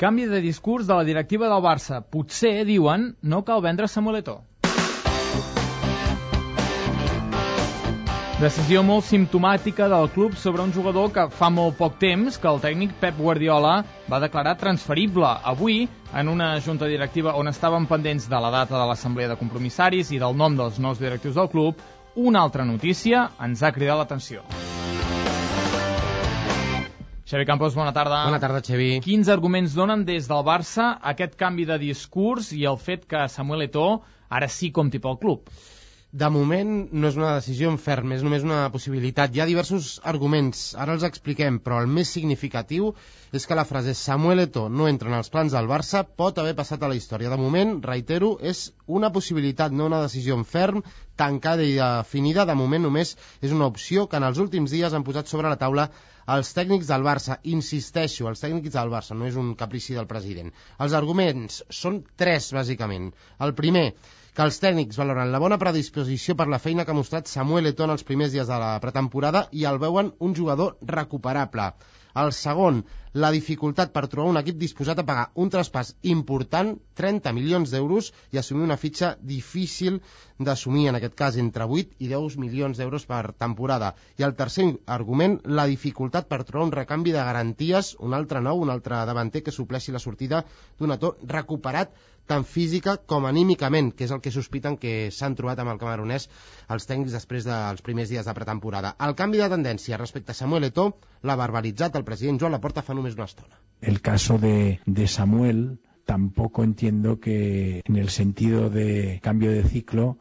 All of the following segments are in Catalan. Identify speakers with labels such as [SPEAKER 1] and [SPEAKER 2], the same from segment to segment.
[SPEAKER 1] Canvi de discurs de la directiva del Barça. Potser, diuen, no cal vendre Samuel Eto'o. Decisió molt simptomàtica del club sobre un jugador que fa molt poc temps que el tècnic Pep Guardiola va declarar transferible. Avui, en una junta directiva on estaven pendents de la data de l'assemblea de compromissaris i del nom dels nous directius del club, una altra notícia ens ha cridat l'atenció. Xavi Campos, bona tarda.
[SPEAKER 2] Bona tarda, Xavi.
[SPEAKER 1] Quins arguments donen des del Barça aquest canvi de discurs i el fet que Samuel Eto'o ara sí compti pel club?
[SPEAKER 2] De moment no és una decisió en ferm, és només una possibilitat. Hi ha diversos arguments, ara els expliquem, però el més significatiu és que la frase Samuel Eto'o no entra en els plans del Barça pot haver passat a la història. De moment, reitero, és una possibilitat, no una decisió en ferm, tancada i definida. De moment només és una opció que en els últims dies han posat sobre la taula els tècnics del Barça. Insisteixo, els tècnics del Barça, no és un caprici del president. Els arguments són tres, bàsicament. El primer, que els tècnics valoren la bona predisposició per la feina que ha mostrat Samuel Eto'o en els primers dies de la pretemporada i el veuen un jugador recuperable. El segon, la dificultat per trobar un equip disposat a pagar un traspàs important, 30 milions d'euros, i assumir una fitxa difícil d'assumir, en aquest cas entre 8 i 10 milions d'euros per temporada. I el tercer argument, la dificultat per trobar un recanvi de garanties, un altre nou, un altre davanter que supleixi la sortida d'un Eto'o recuperat tant física com anímicament, que és el que sospiten que s'han trobat amb el camerunès els tècnics després dels primers dies de pretemporada. El canvi de tendència respecte a Samuel Eto'o l'ha verbalitzat el president Joan Laporta fa només una estona.
[SPEAKER 3] El caso de Samuel tampoco entiendo que en el sentido de cambio de ciclo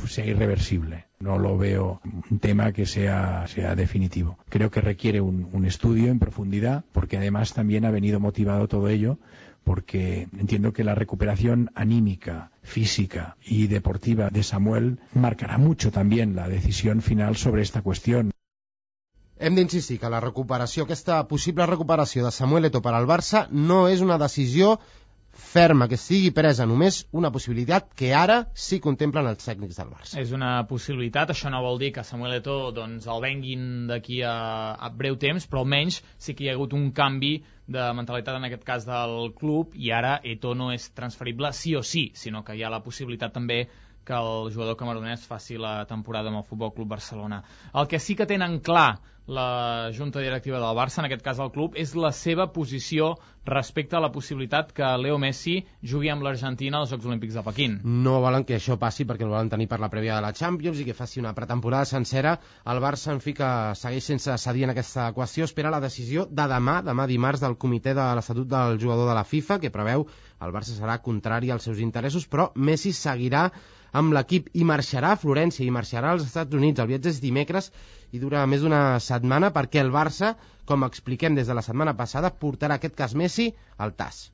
[SPEAKER 3] sea irreversible. No lo veo un tema que sea definitivo. Creo que requiere un estudio en profundidad, porque además también ha venido motivado todo ello porque entiendo que la recuperación anímica, física y deportiva de Samuel marcará mucho también la decisión final sobre esta cuestión.
[SPEAKER 2] Hem d'insistir que la recuperació, aquesta possible recuperació de Samuel Eto'o per al Barça no és una decisió ferma, que sigui presa, només una possibilitat que ara sí contemplen els tècnics del Barça.
[SPEAKER 1] És una possibilitat, això no vol dir que Samuel Eto'o doncs, el venguin d'aquí a breu temps, però almenys sí que hi ha hagut un canvi de mentalitat en aquest cas del club i ara Eto'o no és transferible sí o sí, sinó que hi ha la possibilitat també que el jugador camerunès faci la temporada amb el Futbol Club Barcelona. El que sí que tenen clar la junta directiva del Barça, en aquest cas el club, és la seva posició respecte a la possibilitat que Leo Messi jugui amb l'Argentina als Jocs Olímpics de Pequín.
[SPEAKER 2] No volen que això passi perquè el volen tenir per la prèvia de la Champions i que faci una pretemporada sencera. El Barça, en fi, que segueix sense cedir en aquesta equació, espera la decisió de demà dimarts, del comitè de l'Estatut del jugador de la FIFA, que preveu el Barça serà contrari als seus interessos, però Messi seguirà amb l'equip i marxarà a Florència i marxarà als Estats Units. El viatge és dimecres i dura més d'una setmana perquè el Barça, com expliquem des de la setmana passada, portarà aquest cas Messi al TAS.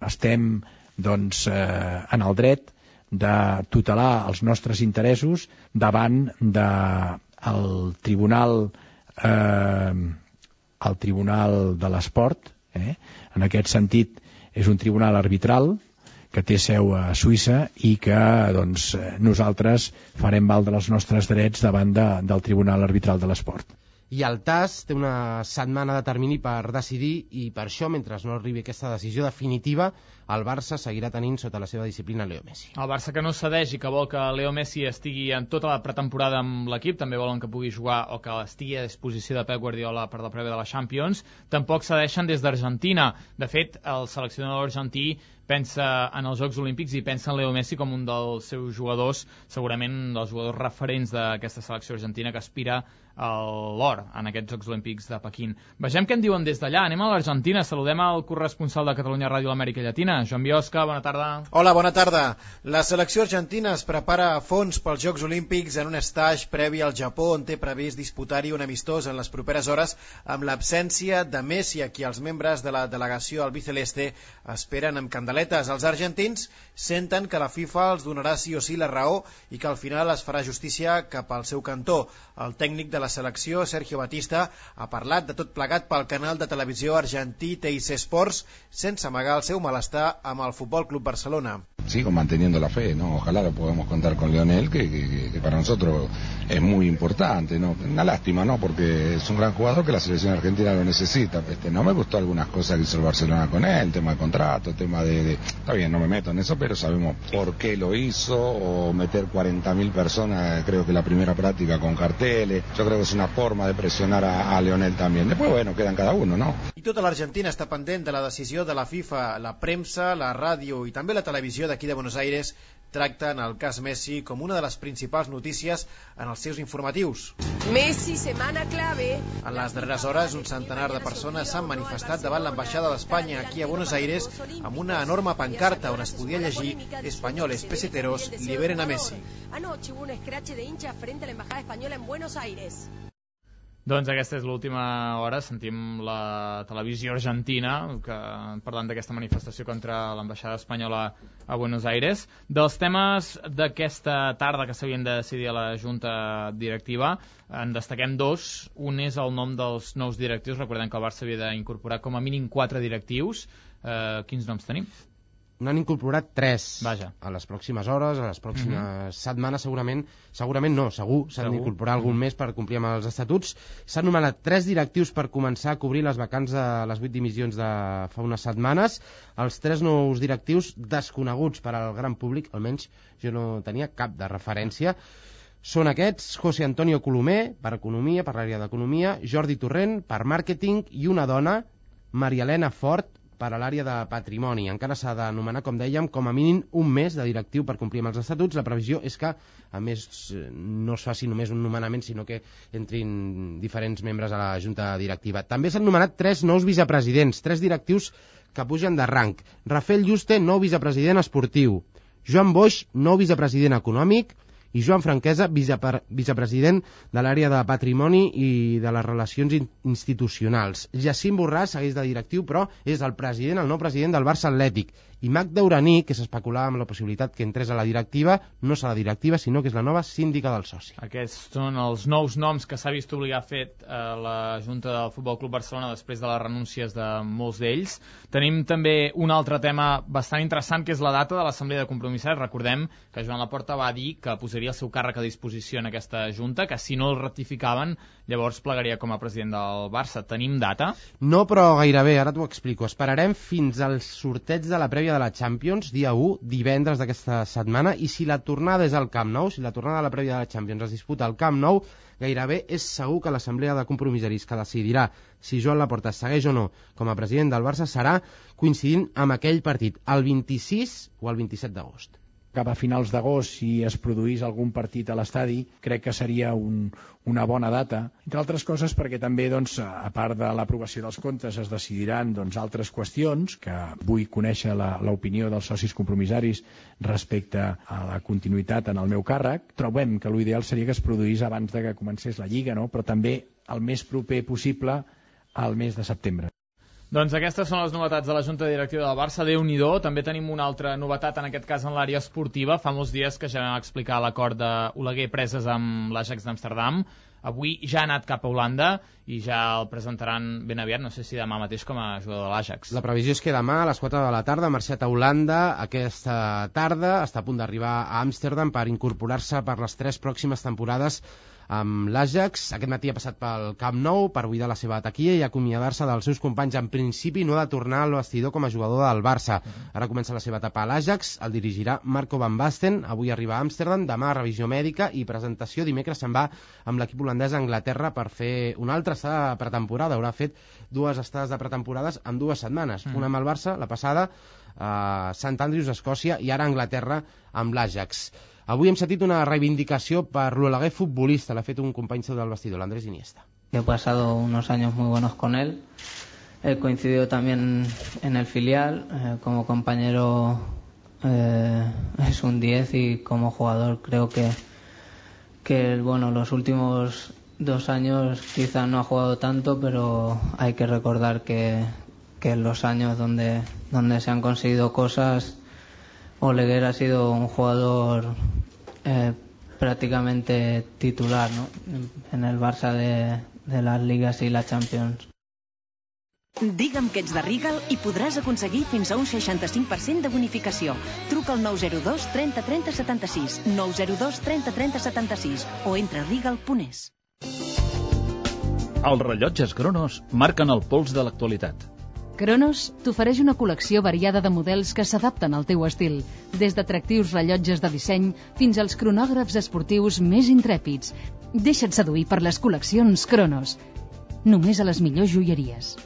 [SPEAKER 3] Estem, doncs, en el dret de tutelar els nostres interessos davant del Tribunal de l'Esport. En aquest sentit, és un tribunal arbitral que té seu a Suïssa i que doncs, nosaltres farem valdre els nostres drets davant del Tribunal Arbitral de l'Esport.
[SPEAKER 2] I el TAS té una setmana de termini per decidir i per això, mentre no arribi aquesta decisió definitiva, el Barça seguirà tenint sota la seva disciplina Leo Messi.
[SPEAKER 1] El Barça que no cedeix i que vol que Leo Messi estigui en tota la pretemporada amb l'equip, també volen que pugui jugar o que estigui a disposició de Pep Guardiola per la prèvia de la Champions, tampoc cedeixen des d'Argentina. De fet, el seleccionador argentí pensa en els Jocs Olímpics i pensa en Leo Messi com un dels seus jugadors, segurament dels jugadors referents d'aquesta selecció argentina que aspira a l'or en aquests Jocs Olímpics de Pequín. Vegem què en diuen des d'allà. Anem a l'Argentina. Saludem al corresponsal de Catalunya Ràdio a l'Amèrica Llatina, Joan Biosca. Bona tarda.
[SPEAKER 4] Hola, bona tarda. La selecció argentina es prepara a fons pels Jocs Olímpics en un estatge previ al Japó, on té previst disputar-hi un amistós en les properes hores amb l'absència de Messi, a qui els membres de la delegació albiceleste esperen amb candeler. atletes. Els argentins senten que la FIFA els donarà sí o sí la raó i que al final es farà justícia cap al seu cantó. El tècnic de la selecció, Sergio Batista, ha parlat de tot plegat pel canal de televisió argentí TIC Sports sense amagar el seu malestar amb el Futbol Club Barcelona.
[SPEAKER 5] Sigo manteniendo la fe, ¿no? Ojalá lo podamos contar con Lionel, que para nosotros es muy importante, ¿no? Una lástima, ¿no? Porque es un gran jugador que la selección argentina lo necesita. No me gustó algunas cosas que hizo el Barcelona con él, tema de contrato, tema de... Está bien, no me meto en eso, pero sabemos por qué lo hizo, o meter 40.000 personas, creo que la primera práctica con carteles. Yo creo que es una forma de presionar a Lionel también. Después, bueno, quedan cada uno, ¿no?
[SPEAKER 4] I tota l'Argentina està pendent de la decisió de la FIFA, la premsa, la ràdio i també la televisió d'aquí de Buenos Aires tracten el cas Messi com una de les principals notícies en els seus informatius.
[SPEAKER 6] Messi, setmana clave.
[SPEAKER 4] En les darreres hores, un centenar de persones s'han manifestat davant l'ambaixada d'Espanya aquí a Buenos Aires amb una enorme pancarta on es podia llegir «Españoles peseteros liberen a Messi».
[SPEAKER 6] Anoche hubo un escrache de hinchas frente a la embajada española en Buenos Aires.
[SPEAKER 1] Doncs aquesta és l'última hora, sentim la televisió argentina parlant d'aquesta manifestació contra l'ambaixada espanyola a Buenos Aires. Dels temes d'aquesta tarda que s'havien de decidir a la Junta Directiva, en destaquem dos. Un és el nom dels nous directius. Recordem que el Barça havia d'incorporar com a mínim 4 directius. Quins noms tenim?
[SPEAKER 2] N'han incorporat 3.
[SPEAKER 1] Vaja.
[SPEAKER 2] A les pròximes hores, a les pròximes setmanes, segurament no, segur s'han d'incorporar algun més per complir amb els estatuts. S'han nomenat 3 directius per començar a cobrir les vacants de les 8 dimissions de fa unes setmanes. Els 3 nous directius desconeguts per al gran públic, almenys jo no tenia cap de referència. Són aquests: José Antonio Colomer, per Economia, per l'àrea d'Economia, Jordi Torrent, per Màrqueting, i una dona, Maria Elena Fort, per a l'àrea de Patrimoni. Encara s'ha de nomenar, com dèiem, com a mínim un mes de directiu per complir amb els estatuts. La previsió és que, a més, no es faci només un nomenament, sinó que entrin diferents membres a la Junta Directiva. També s'han nomenat 3 nous vicepresidents, 3 directius que pugen de rang. Rafael Juste, nou vicepresident esportiu. Joan Boix, nou vicepresident econòmic. I Joan Franquesa, vicepresident de l'àrea de Patrimoni i de les relacions institucionals. Jacint Borràs segueix de directiu, però és el nou president del Barça Atlètic. I Magda Uraní, que s'especulava amb la possibilitat que entrés a la directiva, no serà directiva, sinó que és la nova síndica del soci.
[SPEAKER 1] Aquests són els nous noms que s'ha vist obligar a fer la Junta del Futbol Club Barcelona després de les renúncies de molts d'ells. Tenim també un altre tema bastant interessant, que és la data de l'Assemblea de Compromissaris. Recordem que Joan Laporta va dir que posaria el seu càrrec a disposició en aquesta Junta, que si no el ratificaven, llavors plegaria com a president del Barça. Tenim data?
[SPEAKER 2] No, però gairebé, ara t'ho explico. Esperarem fins al sorteig de la prèvia de la Champions, dia 1, divendres d'aquesta setmana, i si la tornada és al Camp Nou, si la tornada de la prèvia de la Champions es disputa al Camp Nou, gairebé és segur que l'Assemblea de Compromissaris que decidirà si Joan Laporta segueix o no com a president del Barça serà coincidint amb aquell partit, el 26 o el 27 d'agost.
[SPEAKER 3] Cap a finals d'agost, si es produís algun partit a l'estadi, crec que seria una bona data, entre altres coses perquè també, doncs, a part de l'aprovació dels comptes, es decidiran altres qüestions, que vull conèixer l'opinió dels socis compromissaris respecte a la continuïtat en el meu càrrec. Trobem que l'ideal seria que es produís abans de que comencés la Lliga, no? Però també el més proper possible al mes de setembre.
[SPEAKER 1] Doncs aquestes són les novetats de la Junta Directiva del Barça. Déu-n'hi-do. També tenim una altra novetat, en aquest cas en l'àrea esportiva. Fa molts dies que ja vam explicar l'acord d'Oleguer Preses amb l'Ajax d'Amsterdam. Avui ja ha anat cap a Holanda i ja el presentaran ben aviat, no sé si demà mateix, com a jugador de l'Ajax.
[SPEAKER 2] La previsió és que demà a les 4 de la tarda ha marxat a Holanda. Aquesta tarda està a punt d'arribar a Amsterdam per incorporar-se per les 3 pròximes temporades amb l'Ajax. Aquest matí ha passat pel Camp Nou per buidar la seva taquilla i acomiadar-se dels seus companys. En principi no ha de tornar al vestidor com a jugador del Barça. Ara comença la seva etapa a l'Ajax, el dirigirà Marco van Basten. Avui arriba a Amsterdam, demà revisió mèdica i presentació. Dimecres se'n va amb l'equip holandès a Anglaterra per fer una altra estada de pretemporada. Haurà fet 2 estades de pretemporades en 2 setmanes. Una amb el Barça, la passada, a Sant Andrews, Escòcia, i ara a Anglaterra amb l'Ajax. Avui hem sentit una reivindicació per l'Oleguer futbolista, l'ha fet un company seu del vestidor, l'Andrés Iniesta.
[SPEAKER 7] He pasado unos años muy buenos con él. He coincidido también en el filial. Como compañero es un 10 y como jugador creo que los últimos 2 años quizá no ha jugado tanto, pero hay que recordar que que en los años donde se han conseguido cosas, Oleguer ha sido un jugador prácticamente titular, ¿no?, en el Barça de las Ligas y la Champions.
[SPEAKER 8] Digue'm que ets de Regal i podràs aconseguir fins a un 65% de bonificació. Truca al 902 30 30 76, 902 30 30 76 o entra a regal.es.
[SPEAKER 9] Els rellotges Cronos marquen el pols de l'actualitat.
[SPEAKER 10] Cronos t'ofereix una col·lecció variada de models que s'adapten al teu estil, des d'atractius rellotges de disseny fins als cronògrafs esportius més intrèpids. Deixa't seduir per les col·leccions Cronos. Només a les millors joieries.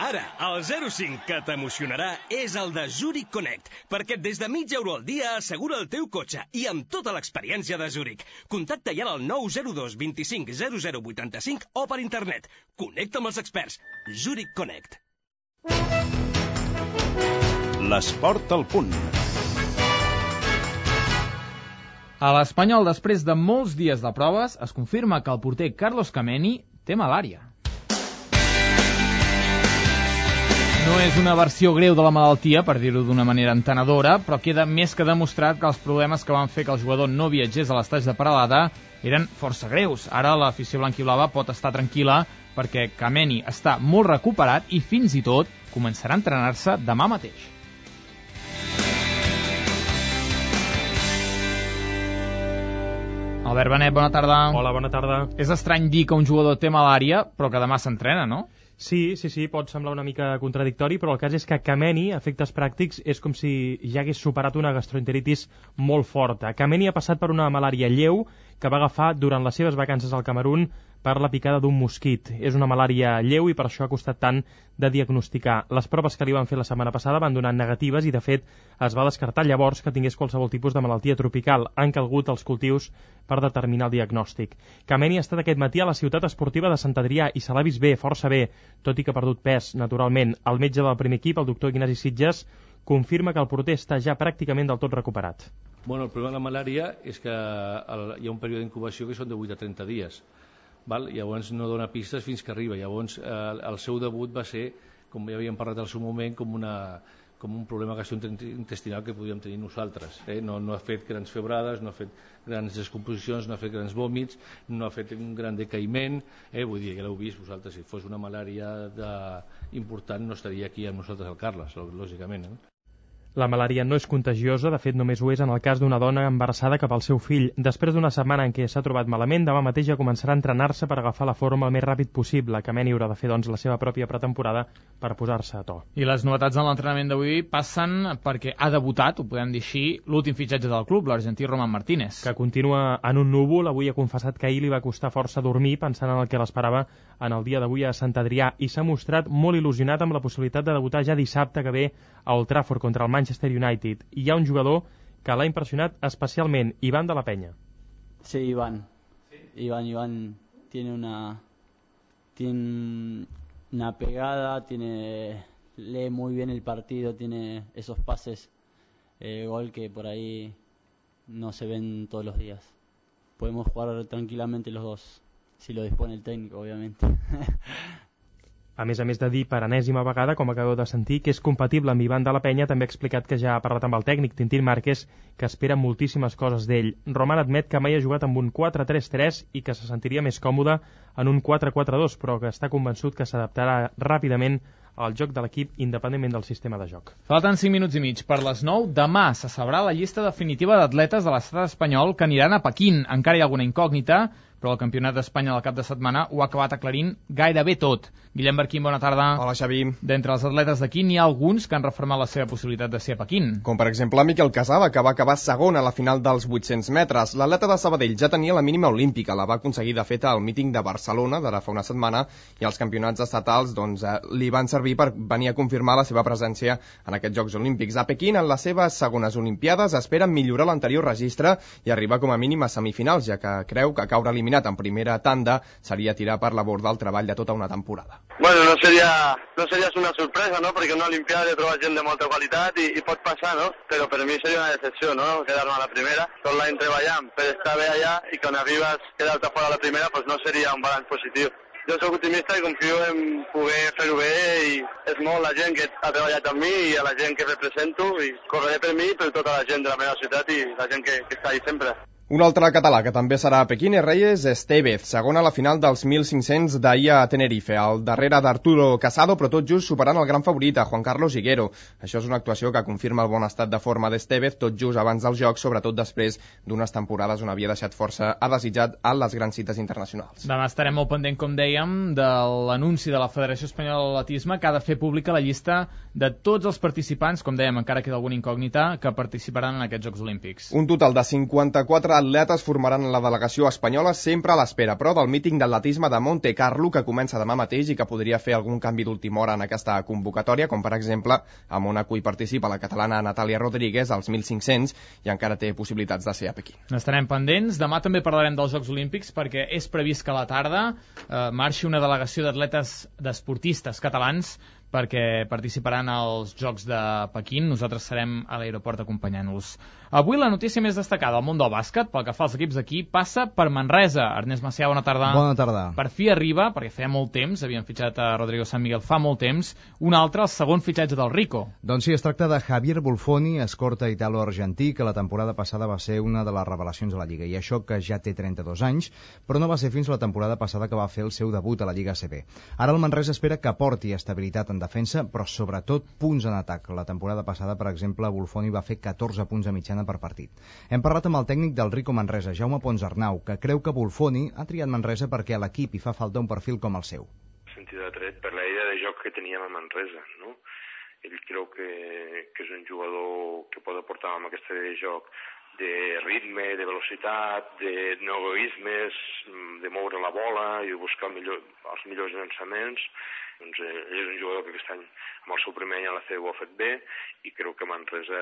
[SPEAKER 11] Ara, el 05 que t'emocionarà és el de Zurich Connect, perquè des de €0,5 al dia assegura el teu cotxe i amb tota l'experiència de Zurich. Contacta ja al 902 25 00 85 o per internet. Connecta amb els experts. Zurich Connect.
[SPEAKER 9] L'esport al punt.
[SPEAKER 1] A l'Espanyol, després de molts dies de proves, es confirma que el porter Carlos Kameni té malària. No és una versió greu de la malaltia, per dir-ho d'una manera entenedora, però queda més que demostrat que els problemes que van fer que el jugador no viatgés a l'estaig de Peralada eren força greus. Ara l'afició blanquiblava pot estar tranquil·la perquè Kameni està molt recuperat i fins i tot començarà a entrenar-se demà mateix. Albert Benet, bona tarda.
[SPEAKER 12] Hola, bona tarda.
[SPEAKER 1] És estrany dir que un jugador té malària, però que demà s'entrena, no?
[SPEAKER 12] Sí, pot semblar una mica contradictori, però el cas és que Kameni, a efectes pràctics, és com si ja hagués superat una gastroenteritis molt forta. Kameni ha passat per una malària lleu que va agafar durant les seves vacances al Camerun per la picada d'un mosquit. És una malària lleu i per això ha costat tant de diagnosticar. Les proves que li van fer la setmana passada van donar negatives i, de fet, es va descartar llavors que tingués qualsevol tipus de malaltia tropical. Han calgut els cultius per determinar el diagnòstic. Kameni ha estat aquest matí a la ciutat esportiva de Sant Adrià i se l'ha vist bé, força bé, tot i que ha perdut pes, naturalment. El metge del primer equip, el doctor Ignasi Sitges, confirma que el porter està ja pràcticament del tot recuperat.
[SPEAKER 13] Bueno, el problema de la malària és que hi ha un període d'incubació que són de 8 a 30 dies. Val? Llavors no dona pistes fins que arriba. Llavors el seu debut va ser, com ja havíem parlat al seu moment, com un problema gastrointestinal que podíem tenir nosaltres. No ha fet grans febrades, no ha fet grans descomposicions, no ha fet grans vòmits, no ha fet un gran decaïment. Vull dir, ja l'heu vist vosaltres, si fos una malària important no estaria aquí amb nosaltres al Carles, lògicament.
[SPEAKER 12] La malària no és contagiosa, de fet només ho és en el cas d'una dona embarassada cap al seu fill. Després d'una setmana en què s'ha trobat malament, demà mateix ja començarà a entrenar-se per agafar la forma el més ràpid possible. Kameni haurà de fer, doncs, la seva pròpia pretemporada per posar-se a to.
[SPEAKER 1] I les novetats en l'entrenament d'avui passen perquè ha debutat, ho podem dir així, l'últim fitxatge del club, l'argentí Roman Martínez.
[SPEAKER 12] Que continua en un núvol. Avui ha confessat que ahir li va costar força dormir pensant en el que l'esperava en el dia d'avui a Sant Adrià i s'ha mostrat molt il·lusionat amb la possibilitat de debutar ja dissabte que ve a Old Trafford contra el Manchester United. I hi ha un jugador que l'ha impressionat especialment, Iván de la Peña.
[SPEAKER 14] Sí, Iván. Iván tiene una pegada, lee muy bien el partido, tiene esos pases, gol que por ahí no se ven todos los días. Podemos jugar tranquilamente los dos, si lo dispone el técnico, obviamente.
[SPEAKER 12] A més de dir per enèsima vegada, com acabeu de sentir, que és compatible amb Iván de la Peña, també ha explicat que ja ha parlat amb el tècnic Tintín Márquez, que espera moltíssimes coses d'ell. Roman admet que mai ha jugat amb un 4-3-3 i que se sentiria més còmode en un 4-4-2, però que està convençut que s'adaptarà ràpidament al joc de l'equip independentment del sistema de joc.
[SPEAKER 1] Falten 5 minuts i mig per les 9. Demà se sabrà la llista definitiva d'atletes de l'estat espanyol que aniran a Pequín. Encara hi ha alguna incògnita, però el Campionat d'Espanya del cap de setmana ho ha acabat aclarint gairebé tot. Guillem Barquín, bona tarda.
[SPEAKER 15] Hola, Xavi.
[SPEAKER 1] D'entre els atletes d'aquí n'hi ha alguns que han reformat la seva possibilitat de ser a Pequín.
[SPEAKER 15] Com per exemple Miquel Casaba, que va acabar segon a la final dels 800 metres. L'atleta de Sabadell ja tenia la mínima olímpica, la va aconseguir de fet al míting de Barcelona d'ara fa una setmana i els campionats estatals li van servir per venir a confirmar la seva presència en aquests Jocs Olímpics. A Pequín, en les seves segones Olimpiades, espera millorar l'anterior registre i arribar com a mínim a semifinals, ja que creu que caure eliminat eliminat en primera tanda, seria tirar per la borda el treball de tota una temporada.
[SPEAKER 16] Bueno, no seria una sorpresa, no? Perquè una Olimpiada he trobat gent de molta qualitat i pot passar, no? Però per mi seria una decepció, no? Quedar-me a la primera. Tot l'any treballant per estar bé allà i quan arribes quedar-te fora a la primera pues no seria un balanç positiu. Jo soc optimista i confio en poder fer-ho bé i és molt la gent que ha treballat amb mi i a la gent que represento i correré per mi i per tota la gent de la meva ciutat i la gent que està ahí sempre.
[SPEAKER 15] Un altre català que també serà a Pequín és Reyes Estevez, segon a la final dels 1.500 d'ahir a Tenerife, al darrere d'Arturo Casado, però tot just superant el gran favorit, a Juan Carlos Higuero. Això és una actuació que confirma el bon estat de forma d'Estevez, tot just abans dels Jocs, sobretot després d'unes temporades on havia deixat força a desitjat a les grans cites internacionals.
[SPEAKER 1] Demà estarem molt pendent, com dèiem, de l'anunci de la Federació Espanyola d'Atletisme que ha de fer pública la llista de tots els participants, com dèiem, encara queda alguna incògnita, que participaran en aquests Jocs Olímpics.
[SPEAKER 15] Un total de 54 atletes formaran la delegació espanyola, sempre a l'espera, però, del míting d'atletisme de Monte Carlo, que comença demà mateix i que podria fer algun canvi d'última hora en aquesta convocatòria, com per exemple a Mónaco hi participa la catalana Natàlia Rodríguez als 1.500 i encara té possibilitats de ser a Pequín.
[SPEAKER 1] Estarem pendents. Demà també parlarem dels Jocs Olímpics perquè és previst que a la tarda marxi una delegació d'atletes d'esportistes catalans perquè participaran als Jocs de Pequín. Nosaltres serem a l'aeroport acompanyant-los. Avui la notícia més destacada al món del bàsquet, pel que fa als equips d'aquí, passa per Manresa. Ernest Macià, bona tarda.
[SPEAKER 17] Bona tarda.
[SPEAKER 1] Per fi arriba, perquè feia molt temps, havien fitxat a Rodrigo San Miguel fa molt temps, un altre, el segon fitxatge del Rico.
[SPEAKER 17] Doncs sí, es tracta de Javier Bulfoni, escorta italo-argentí, que la temporada passada va ser una de les revelacions de la Lliga. I això que ja té 32 anys, però no va ser fins la temporada passada que va fer el seu debut a la Lliga ACB. Ara el Manresa espera que porti estabilitat en defensa, però sobretot punts en atac. La temporada passada, per exemple, Bulfoni va fer 14 punts a mitjana per partit. Hem parlat amb el tècnic del Rico Manresa, Jaume Ponsarnau, que creu que Bulfoni ha triat Manresa perquè a l'equip hi fa falta un perfil com el seu.
[SPEAKER 18] Sentit atret per la idea de joc que teníem a Manresa, no? Ell creu que és un jugador que pot aportar amb aquesta idea de joc de ritme, de velocitat, de no egoismes, de moure la bola i de buscar els millors llançaments. Doncs ell és un jugador que aquest any amb el seu primer any a la CEU ho ha fet bé i creu que Manresa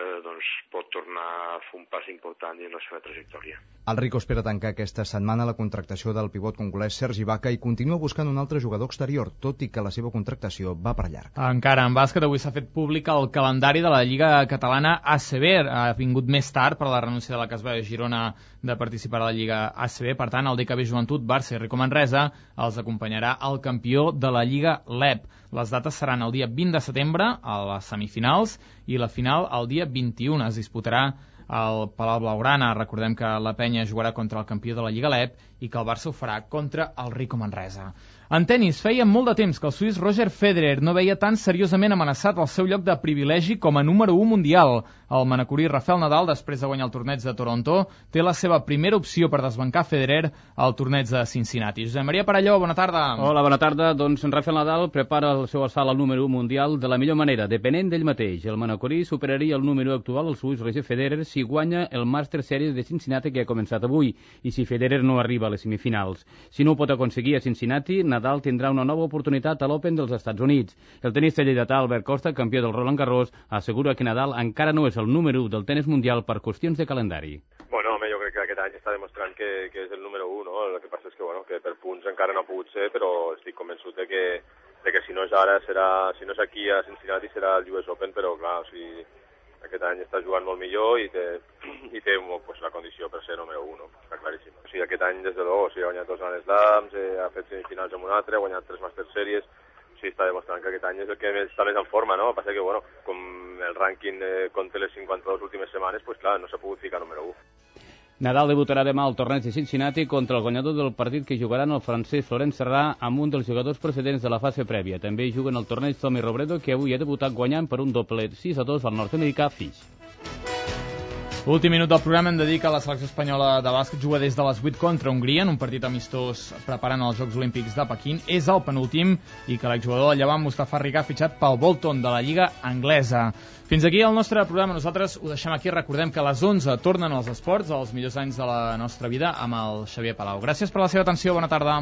[SPEAKER 18] pot tornar a fer un pas important dins la seva trajectòria.
[SPEAKER 17] El Rico espera tancar aquesta setmana la contractació del pivot congolès Sergi Baca i continua buscant un altre jugador exterior, tot i que la seva contractació va per llarg.
[SPEAKER 1] Encara en bàsquet, avui s'ha fet públic el calendari de la Lliga Catalana ACB. Ha vingut més tard per la renúncia de la Casba de Girona de participar a la Lliga ACB. Per tant, el DKB Joventut, Barça i Rico Manresa els acompanyarà el campió de la Lliga LEP. Les dates seran el dia 20 de setembre a les semifinals i la final el dia 21. Es disputarà al Palau Blaugrana. Recordem que la Penya jugarà contra el campió de la Lliga LEP i que el Barça ho farà contra el Rico Manresa. En tenis, feia molt de temps que el suís Roger Federer no veia tan seriosament amenaçat el seu lloc de privilegi com a número 1 mundial. El manacorí Rafael Nadal, després de guanyar el torneig de Toronto, té la seva primera opció per desbancar Federer al torneig de Cincinnati. Josep Maria Parelló, bona tarda.
[SPEAKER 19] Hola, bona tarda. Doncs Rafael Nadal prepara el seu assalt al número 1 mundial de la millor manera, depenent d'ell mateix. El manacorí superaria el número actual, el suís Roger Federer, si guanya el Master Series de Cincinnati que ha començat avui i si Federer no arriba a les semifinals. Si no ho pot aconseguir a Cincinnati, Nadal tindrà una nova oportunitat a l'Open dels Estats Units. El tenista lleidatà Albert Costa, campió del Roland Garros, assegura que Nadal encara no és el número 1 del tenis mundial per qüestions de calendari.
[SPEAKER 20] Bueno, home, jo crec que aquest any està demostrant que és el número 1, no? El que passa és que per punts encara no ha pogut ser, però estic convençut de que si no és ara, si no és aquí a Cincinnati serà el US Open, però clar, o sigui, aquest any està jugant molt millor i té la condició per ser número 1, està claríssim. O sigui, aquest any, des de luego, ha guanyat 2 Grand Slams, ha fet semifinals amb un altre, ha guanyat 3 Master Series, o sigui, està demostrant que aquest any és el que està més en forma, no? El que passa que, bueno, com el rànquing compta les 52 últimes setmanes, pues clar, no s'ha pogut ficar número 1.
[SPEAKER 19] Nadal debutarà demà al torneig de Cincinnati contra el guanyador del partit que jugaran el francès Florent Serrà amb un dels jugadors precedents de la fase prèvia. També juguen el torneig Tommy Robredo, que avui ha debutat guanyant per un doblet 6-2 al nord-americà Fish.
[SPEAKER 1] Últim minut del programa hem de dir que la selecció espanyola de bàsquet juga des de les 8 contra Hongria en un partit amistós preparant els Jocs Olímpics de Pequín. És el penúltim i que l'exjugador del Llevant, Mustafa Ricà, ha fitxat pel Bolton de la Lliga Anglesa. Fins aquí el nostre programa. Nosaltres ho deixem aquí. Recordem que a les 11 tornen els esports, els millors anys de la nostra vida, amb el Xavier Palau. Gràcies per la seva atenció. Bona tarda.